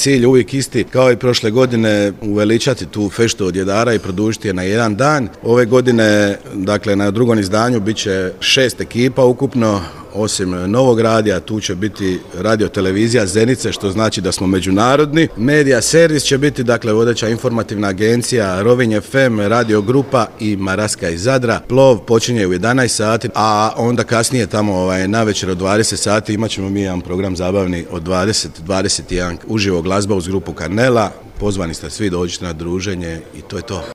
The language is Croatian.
cilj uvijek isti, kao i prošle godine, uveličati tu feštu od jedara i produžiti je na jedan dan. Ove godine, dakle, na drugom izdanju bit će 6 ekipa ukupno, osim Novog radija, tu će biti radio-televizija Zenice, što znači da smo međunarodni. Medija servis će biti, dakle, vodeća informativna agencija Rovinj FM, Radio Grupa i Maraska iz Zadra. Plov počinje u 11 sati, a onda kasnije tamo navečer od 20 sati imat ćemo mi jedan program zabavni od 20-21 uživo glazba uz grupu Karnela. Pozvani ste svi, dođite na druženje i to je to.